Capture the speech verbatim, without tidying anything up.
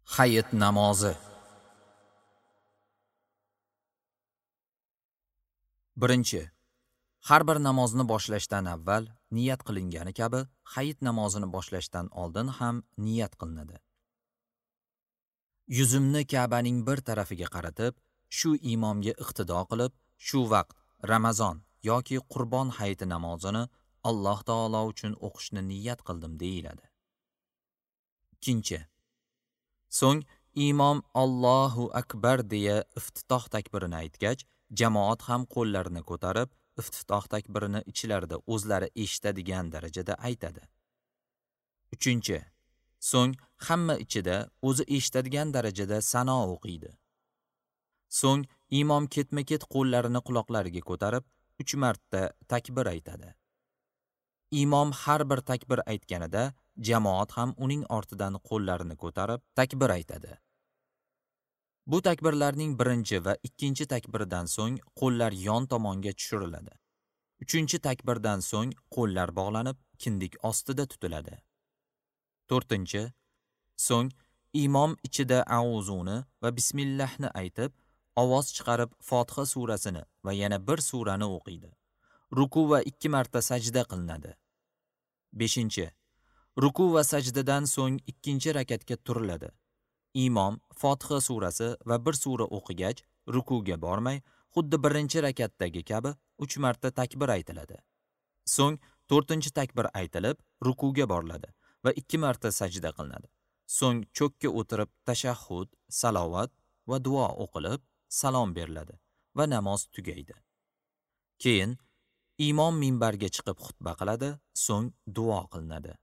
Hayit namozi. Birinchi. Har bir namozni boshlashdan avval niyat qilingani kabi hayit namozini boshlashdan oldin ham niyat qilinadi. Yuzimni Ka'baning bir tarafiga qaratib, shu imomga iqtido qilib, shu vaqt Ramazon yoki Qurbon hayiti namozini Alloh taolo uchun o'qishni niyat qildim deyiladi. Ikkinchi. So'ng imom Allohu akbar deya iftitoh takbirini aytgach, jamoat ham qo'llarini ko'tarib, iftitoh takbirini ichlarida o'zlari eshitadigan darajada aytadi. Uchinchi. So'ng hamma ichida o'zi eshitadigan darajada sano o'qiydi. So'ng imom ketma-ket qo'llarini quloqlariga ko'tarib, uch marta takbir aytadi. Imom har bir takbir aytganida jamoat ham uning ortidan qo'llarini ko'tarib takbir aytadi. Bu takbirlarning birinchi va ikkinchi takbirdan so'ng qo'llar yon tomonga tushiriladi. Uchinchi takbirdan so'ng qo'llar bog'lanib, kindik ostida tutiladi. To'rtinchi. So'ng imom ichida auzuni va bismillahni aytib, ovoz chiqarib Fotiha surasini va yana bir surani o'qiydi. Ruku va ikki marta sajda qilinadi. Beshinchi. Ruku va sajdadan so'ng ikkinchi rakatga turiladi. Imom Fotiha surasi va bir sura o'qigach, rukuga bormay, xuddi birinchi rakatdagi kabi uch marta takbir aytiladi. So'ng to'rtinchi takbir aytilib, rukuga boriladi va ikki marta sajda qilinadi. So'ng cho'kka o'tirib tashahhud, salovat va duo o'qilib, salom beriladi va namoz tugaydi. Keyin imom minbarga chiqib xutba qiladi, so'ng duo qilinadi.